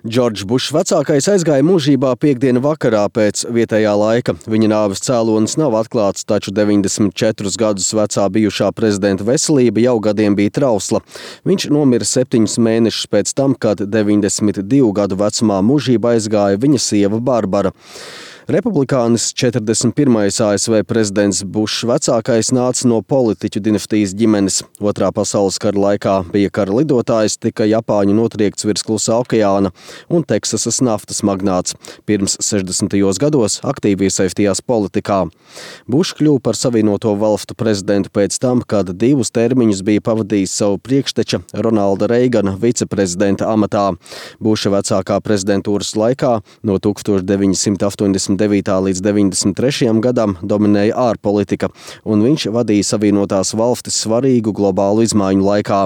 Džordžs Bušs vecākais aizgāja mūžībā piektdienu vakarā pēc vietējā laika. Viņa nāves cēlonis nav atklāts, taču 94 gadus vecā bijušā prezidenta veselība jau gadiem bija trausla. Viņš nomira 7 mēnešus pēc tam, kad 92 gadu vecumā mūžībā aizgāja viņa sieva Barbara. Republikānis 41. ASV prezidents Bušs vecākais nāca no politiķu dinastijas ģimenes. Otrā pasaules kara laikā bija kara lidotājs, tika Japāņu notriekts virs Klusā okeāna un Teksasas naftas magnāts. Pirms 60. gados aktīvi iesaistījās politikā. Bušs kļuva par Savienoto Valstu prezidentu pēc tam, kad 2 termiņus bija pavadījis savu priekšteča Ronalda Reigana viceprezidenta amatā. Buša vecākā prezidentūras laikā no 1989. līdz 93. gadam dominēja ārpolitika, un viņš vadīja Savienotās Valstis svarīgu globālu izmaiņu laikā.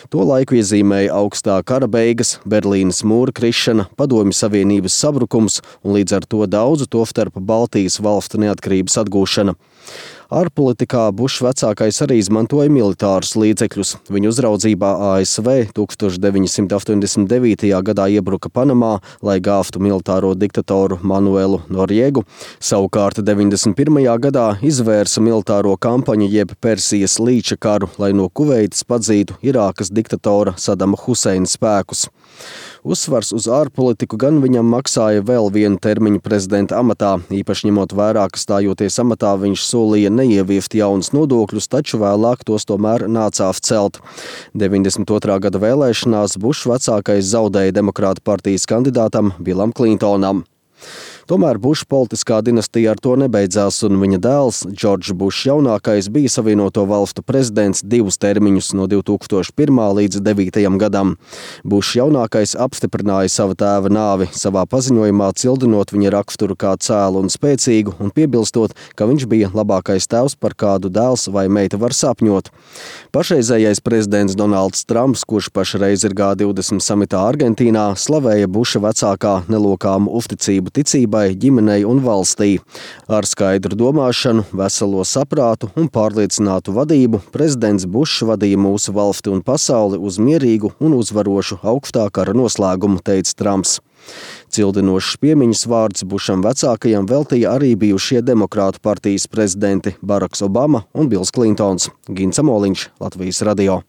To laiku iezīmēja augstā kara beigas, Berlīnes mūra krišana, Padomju Savienības sabrukums un līdz ar to daudzu tostarp Baltijas valstu neatkarības atgūšana. Ārpolitikā Bušs vecākais arī izmantoja militārus līdzekļus. Viņa uzraudzībā ASV 1989. gadā iebruka Panamā, lai gāvtu militāro diktatoru Manuelu Noriegu. Savukārt 91. gadā izvērsa militāro kampaņu jeb Persijas līča karu, lai no Kuveitas padzītu Irākas diktatora Sadama Huseina spēkus. Uzsvars uz ārpolitiku gan viņam maksāja vēl vienu termiņu prezidenta amatā, īpaši ņemot vērā, ka stājoties amatā viņš solīja neieviest jaunus nodokļus, taču vēlāk tos tomēr nācās celt. 92. gada vēlēšanās Bušs vecākais zaudēja Demokrātu partijas kandidātam Bilam Klintonam. Tomēr Buša politiskā dinastija ar to nebeidzās, un viņa dēls, Džordžs Bušs jaunākais, bija Savienoto Valstu prezidents 2 termiņus no 2001. līdz 2009. gadam. Bušs jaunākais apstiprināja sava tēva nāvi, savā paziņojumā cildinot viņa raksturu kā cēlu un spēcīgu un piebilstot, ka viņš bija labākais tēvs, par kādu dēls vai meita var sapņot. Pašreizējais prezidents Donalds Trumps, kurš pašreiz ir G20 samitā Argentīnā, slavēja Buša vecākā nelokāmu uzticību ticībai, ģimenei un valstī. Ar skaidru domāšanu, veselo saprātu un pārliecinātu vadību prezidents Bušs vadīja mūsu valsti un pasauli uz mierīgu un uzvarošu augstā kara noslēgumu, teica Trumps. Cildinošs piemiņas vārds Bušam vecākajam veltīja arī bijušie Demokrātu partijas prezidenti Baraks Obama un Bils Klintons. Gints Amoliņš, Latvijas radio.